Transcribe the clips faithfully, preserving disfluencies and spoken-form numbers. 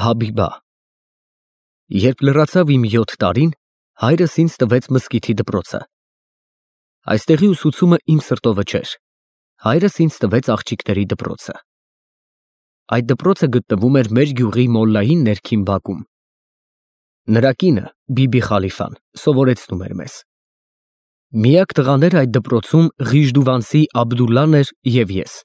Հաբիբա։ Երբ լրացավ իմ յոթ տարին, հայրս ինձ տվեց մզկիթի դպրոցը։ Այստեղի ուսուցումը իմ սրտովը չէր, հայրս ինձ տվեց աղջիկների դպրոցը։ Այդ դպրոցը գտնվում էր մեր գյուղի մոլլայի ներքին բակում։ Նրա կինը՝ Բիբի Խալիֆան, սովորեցնում էր մեզ։ Միակ տղաները այդ դպրոցում Ղիժդուվանցի Աբդուլլան էր և ես։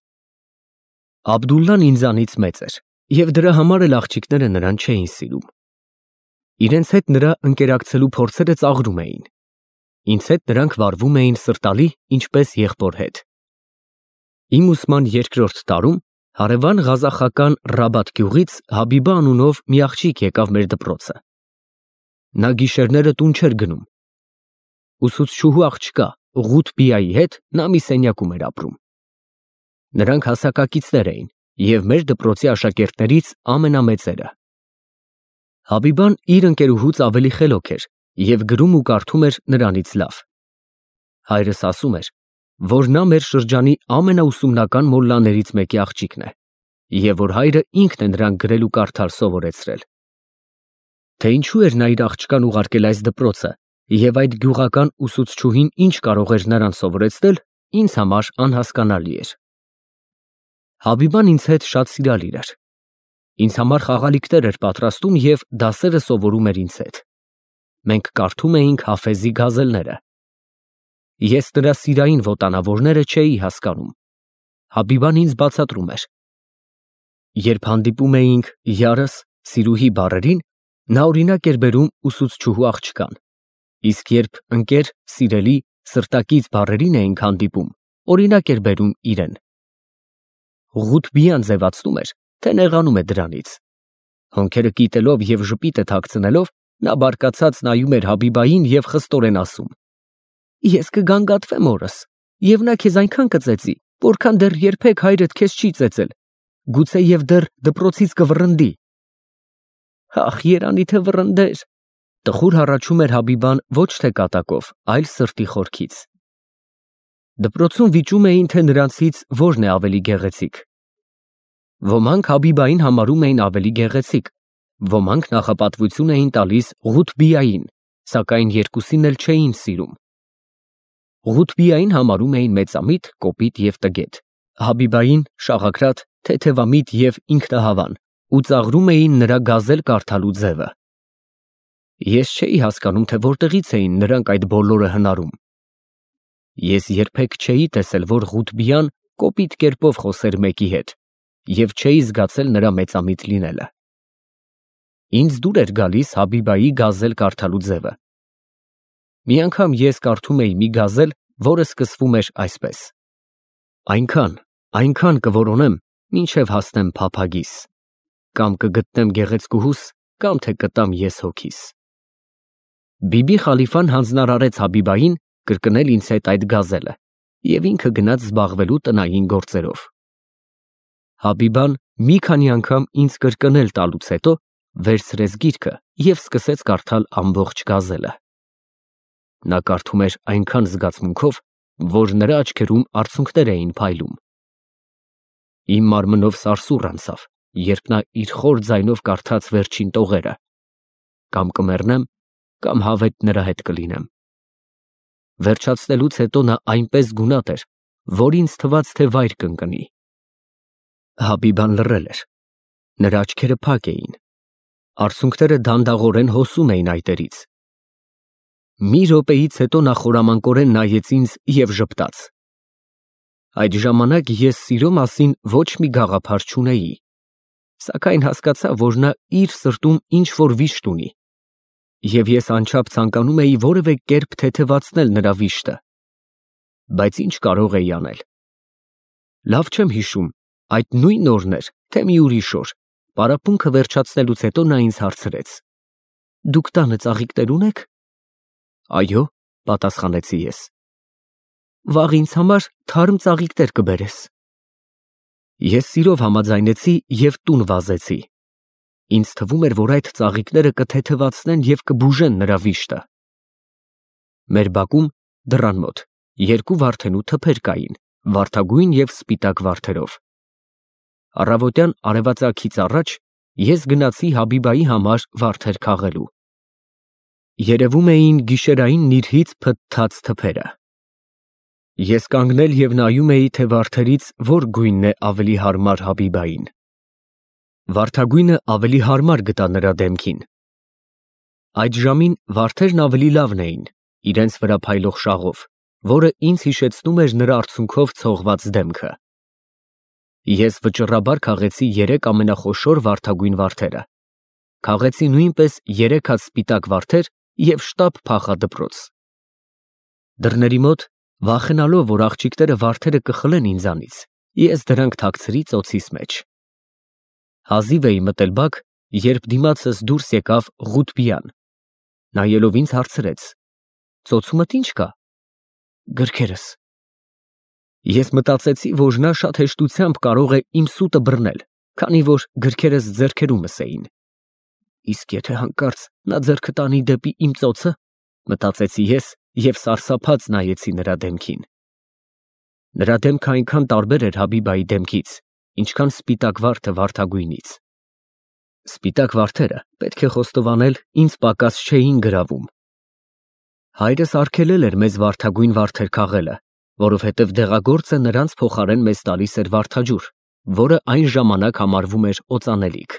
Աբդուլլան ինձանից մեծ էր, և դրա համար էլ աղջիկները նրան չէին սիրում։ Իրենց հետ նրա ընկերակցելու փորձերը ծաղրում էին։ Ինձ հետ նրանք վարվում էին սրտալի, ինչպես եղբոր հետ։ Իմ ուսման երկրորդ տարում հարևան ղազախական Ռաբատ գյուղից Հաբիբա անունով մի աղջիկ եկավ մեր դպրոցը։ Նա գիշերները տուն չէր գնում։ Ուսուցչուհու աղջկա Ղութբիայի հետ նա մի սենյակում էր ապրում։ Նրանք հասակակիցներ էին և մեր դպրոցի աշակերտներից ամենամեծերը։ Հաբիբան իր ընկերուհուց ավելի խելոք էր և գրում ու կարդում էր նրանից լավ։ Հայրս ասում էր, որ նա մեր շրջանի ամենաուսումնական մոլլաներից մեկի աղջիկն է, և որ հայրը ինքն է նրան գրել ու կարդալ սովորեցրել։ Թե ինչու էր նա իր աղջկան ուղարկել այս դպրոցը և այդ գյուղական ուսուցչուհին ինչ կարող էր նրան սովորեցնել, ինձ համար անհասկանալի էր։ Հաբիբան ինձ հետ շատ սիրալիր էր։ Ինձ համար խաղալիքներ էր պատրաստում և դասերը սովորում էր ինձ հետ։ Մենք կարդում էինք Հաֆեզի գազելները։ Ես նրա սիրային ոտանավորները չէի հասկանում։ Հաբիբան ինձ բացատրում էր։ Երբ հանդիպում էինք յարս, սիրուհի բառերին, նա օրինակ էր բերում ուսուցչուհու աղջկան, իսկ երբ ընկեր, սիրելի, սրտակից բառերին էինք հանդիպում, օրինակ էր բերում իրեն։ Ղութբիան ձևացնում էր, թե նեղանում է դրանից։ Հոնքերը կիտելով և ժպիտը թաքցնելով, նա բարկացած նայում էր Հաբիբային և խստորեն ասում. «Ես կգանգատվեմ օրս, և նա քեզ այնքան կծեծի, որքան դեռ երբեք հայրդ քեզ չի ծեծել, գուցեև դեռ դպրոցից կվռնդի»։ Ախ, երանի թե վռնդեր։ Տխուր հառաչում էր Հաբիբան ոչ թե կատակով, այլ սրտի խորքից։ Դպրոցում վիճում էին, թե նրանցից որն է ավելի գեղեցիկ։ Ոմանք Հաբիբային համարում էին ավելի գեղեցիկ, ոմանք նախապատվություն էին տալիս Ղութբիային, սակայն երկուսին էլ չէին սիրում։ Ղութբիային համարում էին մեծամիտ, կոպիտ և տգետ, Հաբիբային շաղաքրատ, թեթևամիտ և ինքնահավան ու ծաղրում էին նրա գազել կարդալու ձևը։ Ես չէի հասկանում, թե որտեղից էին նրանք այդ բոլորը հնարում։ Ես երբեք չէի տեսել, որ Ղութբիան կոպիտ կերպով խոսեր մեկի հետ և չէի զգացել նրա մեծամիտ լինելը։ Ինձ դուր էր գալիս Հաբիբայի գազել կարդալու ձևը։ Մի անգամ ես կարդում էի մի գազել, որը սկսվում էր այսպես. Այնքան, այնքան կորոնեմ, մինչև հասնեմ փափագիս, կամ կգտնեմ գեղեցկուհուս, կամ թե կտամ ես հոգիս։ Բիբի Խալիֆան հանձնարարեց Հաբիբային կրկնել ինձ հետ այդ գազելը և ինքը գնաց զբաղվելու տնային գործերով։ Հաբիբան մի քանի անգամ ինձ կրկնել տալուց հետո վերցրեց գիրքը և սկսեց կարդալ ամբողջ գազելը։ Նա կարդում էր այնքան զգացմունքով, որ նրա աչքերում արցունքներ էին փայլում։ Իմ մարմնով սարսուռ անցավ, երբ նա իր խոր ձայնով կարդաց վերջին տողերը. «Կամ կմեռնեմ, կամ հավետ նրա հետ կլինեմ»։ Վերջացնելուց հետո նա այնպես գունատ էր, որ ինձ թվաց, թե վայր կընկնի։ Հաբիբան լռել էր։ Նրա աչքերը փակ էին։ Արցունքները դանդաղորեն հոսում էին այտերից։ Մի րոպեից հետո նա խորամանկորեն նայեց ինձ և ժպտաց։ Այդ ժամանակ ես սիրո մասին ոչ մի գաղափար չունեի, սակայն հասկացա, որ նա իր սրտում ինչ֊որ վիշտ ունի, և ես անչափ ցանկանում էի որևէ կերպ թեթևացնել նրա վիշտը։ Բայց ինչ կարող էի անել։ Լավ չեմ հիշում, այդ նույն օրն էր, թե մի ուրիշ օր, պարապմունքը վերջացնելուց հետո նա ինձ հարցրեց. «Դուք տանը ծաղիկներ ունե՞ք»։ «Այո», պատասխանեցի ես։ «Վաղ ինձ համար թարմ ծաղիկներ կբերես»։ Ես սիրով համաձայնեցի և տուն վազեցի։ Ինձ թվում էր, որ այդ ծաղիկները կթեթևացնեն և կբուժեն նրա վիշտը։ Մեր բակում, դռան մոտ, երկու վարդենու թփեր կային, վարդագույն և սպիտակ վարդերով։ Առավոտյան արևածագից առաջ ես գնացի Հաբիբայի համար վարդեր քաղելու։ Երևում էին գիշերային նիրհից փթթած թփերը։ Ես կանգնել և նայում էի, թե վարդերից որ գույնն է ավելի հարմար Հաբիբային։ Վարդագույնը ավելի հարմար գտա նրա դեմքին։ Այդ ժամին վարդերն ավելի լավն էին, իրենց վրա փայլող շաղով, որը ինձ հիշեցնում էր նրա արցունքով ցողված դեմքը։ Ես վճռաբար քաղեցի երեք ամենախոշոր վարդագույն վարդերը, քաղեցի նույնպես երեք հատ սպիտակ վարդեր և շտապ փախա դպրոց։ Դռների մոտ, վախենալով, որ աղջիկները վարդերը կխլեն ինձանից, ես դրանք թաքցրի ծոցիս մեջ։ Հազիվ էի մտել բակ, երբ դիմացս դուրս եկավ Ղութբիան, նայելով ինձ հարցրեց. ծոցումդ ի՞նչ կա։ Գրքերս։ Ես մտածեցի, որ նա շատ հեշտությամբ կարող է իմ սուտը բռնել, քանի որ գրքերս ձեռքերումս էին։ Իսկ եթե հանկարծ նա ձեռքը տանի դեպի իմ ծոցը, մտածեցի ես և սարսափած նայեցի նրա դեմքին։ Նրա դեմքը այնքան տարբեր էր Հաբիբայի դեմքից, ինչքան սպիտակ վարդը վարդագույնից։ Սպիտակ վարդերը, պետք է խոստովանել, ինձ պակաս չէին գրավում։ Հայրս արգելել էր մեզ վարդագույն վարդեր քաղելը, որովհետև դեղագործը նրանց փոխարեն մեզ տալիս էր վարդաջուր, որը այն ժամանակ համարվում էր օծանելիք։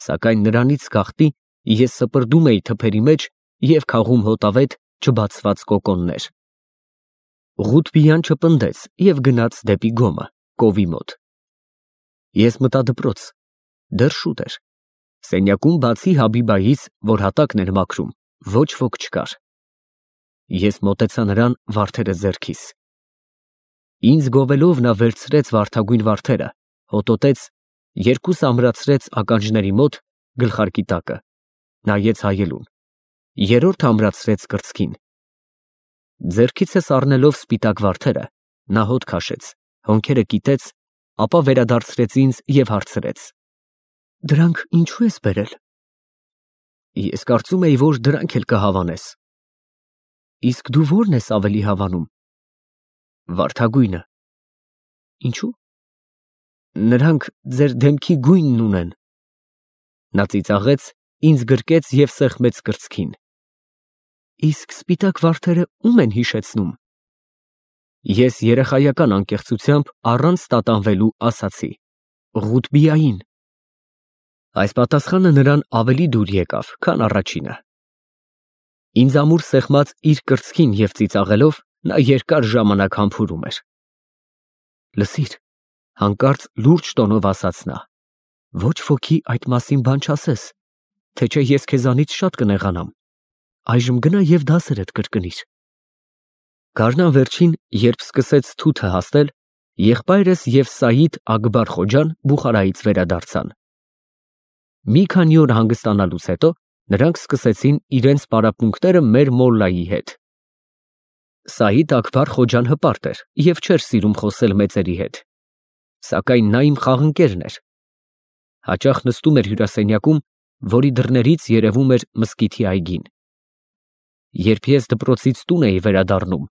Սակայն նրանից գաղտնի ես սպրդում էի թփերի մեջ և քաղում հոտավետ չբացված կոկոններ։ Ղութբիան չպնդեց և գնաց դեպի գոմը, կովի մոտ։ Ես մտա դպրոց, դեռ շուտ էր։ Սենյակում բացի Հաբիբայից, որ հատակն էր մաքրում, ոչ ոք չկար։ Ես մոտեցա նրան վարդերը ձեռքիս։ Ինձ գովելով նա վերցրեց վարդագույն վարդերը, հոտոտեց, երկուս ամրացրեց ականջների մոտ, գլխարկի տակը, նայեց հայելուն, երրորդ ամրացրեց կրծքին։ Ձեռքիցս առնելով սպիտակ վարդերը, նա հոտ քաշեց, հոնքերը կիտեց, ապա վերադարձրեց ինձ և հարցրեց. դրանք ինչու ես բերել։ Ես կարծում էի, որ դրանք էլ կհավանես։ Իսկ դու ո՞րն ես ավելի հավանում։ Վարդագույնը։ Ինչու։ Նրանք ձեր դեմքի գույնն ունեն։ Նա ծիծաղեց, ինձ գրկեց և սեղմեց կրծքին։ Իսկ սպիտակ վարդերը ո՞ւմ են հիշեցնում։ Ես երեխայական անկեղծությամբ առանց տատանվելու ասացի. Ղութբիային։ Այս պատասխանը նրան ավելի դուր եկավ, քան առաջինը։ Ինձ ամուր սեղմած իր կրծքին և ծիծաղելով, նա երկար ժամանակ համբուրում էր։ Լսիր, հանկարծ լուրջ տոնով ասաց նա, ոչ ոքի այդ մասին բան չասես, թե չէ ես քեզանից շատ կնեղանամ, այժմ գնա և դասերդ կրկնիր։ Գարնան վերջին, երբ սկսեց թութը հասնել, եղբայրս և Սայիդ Ակբար Խոջան Բուխարայից վերադարձան։ Մի քանի օր հանգստանալուց հետո նրանք սկսեցին իրենց պարապմունքները մեր մոլլայի հետ։ Սայիդ Ակբար Խոջան հպարտ էր և չէր սիրում խոսել մեծերի հետ, սակայն նա իմ խաղընկերն էր։ Հաճախ նստում էր հյուրասենյակում, որի դռներից երևում էր մզկիթի այգին։ Երբ ես դպրոցից տուն էի վերադառնում,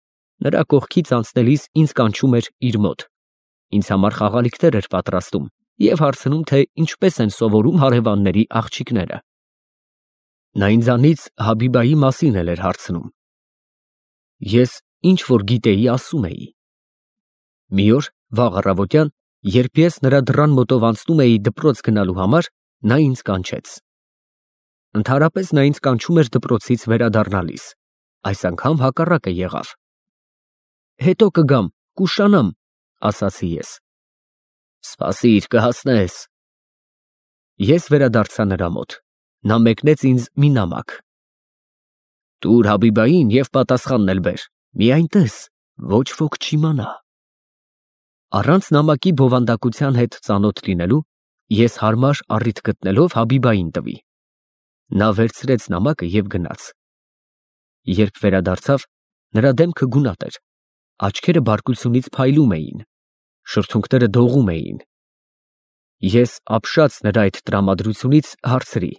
նրա կողքից անցնելիս ինձ կանչում էր իր մոտ, ինձ համար խաղալիքներ էր պատրաստում և հարցնում, թե ինչպես են սովորում հարևանների աղջիկները։ Նա ինձանից Հաբիբայի մասին էլ էր հարցնում։ Ես ինչ որ գիտեի, ասում էի։ Մի օր, վաղ առավոտյան, երբ ես նրա դռան մոտով անցնում էի դպրոց գնալու համար, նա ինձ կանչեց։ Ընդհանրապես նա ինձ կանչում էր դպրոցից վերադառնալիս, այս անգամ հակառակը եղավ։ Հետո կգամ, կուշանամ, ասացի ես։ Սպասիր, կհասնես։ Ես վերադարձա նրա մոտ, նա մեկնեց ինձ մի նամակ։ Տուր Հաբիբային և պատասխանն էլ բեր, միայն տես, ոչ ոք չիմանա։ Առանց նամակի բովանդակության հետ ծանոթ լինելու, ես հարմար առիթ գտնելով Հաբիբային տվի։ Նա վերցրեց նամակը և գնաց։ Երբ վերադարձավ, նրա դեմքը գունատ էր, աչքերը բարկությունից փայլում էին, շրթունքները դողում էին։ Ես ապշած նրա այդ տրամադրությունից հարցրի.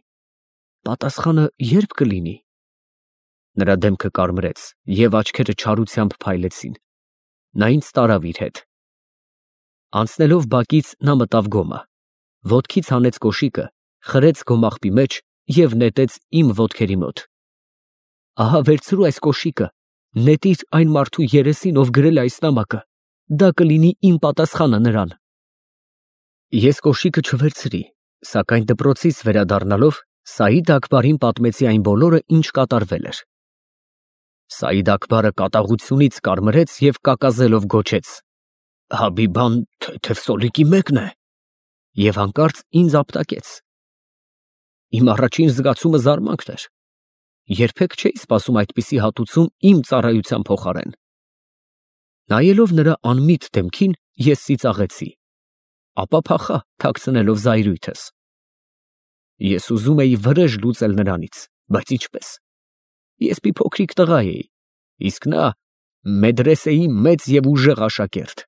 պատասխանը ե՞րբ կլինի։ Նրա դեմքը կարմրեց և աչքերը չարությամբ փայլեցին։ Նա ինձ տարավ իր հետ։ Անցնելով բակից նա մտավ գոմը, ոտքից հանեց կոշիկը, խրեց գոմաղբի մեջ և նետեց իմ ոտքերի մոտ։ Ահա վերցրու այս կոշիկը, նետիր այն մարդու երեսին, ով գրել է այս նամակը, դա կլինի իմ պատասխանը նրան։ Ես կոշիկը չվերցրի, սակայն դպրոցից վերադառնալով Սաիդ֊Աքբարին պատմեցի այն բոլորը, ինչ կատարվել էր։ Սաիդ֊Աքբարը կատաղությունից կարմրեց և կակազելով գոչեց. «Հաբիբան թեթև սոլիկի մեկն է» և հանկարծ ինձ ապտակեց։ Իմ առաջին զգացումը զարմանքն էր. երբեք չէի սպասում այդպիսի հատուցում իմ ծառայության փոխարեն։ Նայելով նրա անմիտ դեմքին, ես ծիծաղեցի, ապա փախա, թաքցնելով զայրույթս։ Ես ուզում էի վրեժ լուծել նրանից, բայց ինչպե՞ս։ Ես մի փոքրիկ տղա էի, իսկ նա մեդրեսեի մեծ և ուժեղ աշակերտ։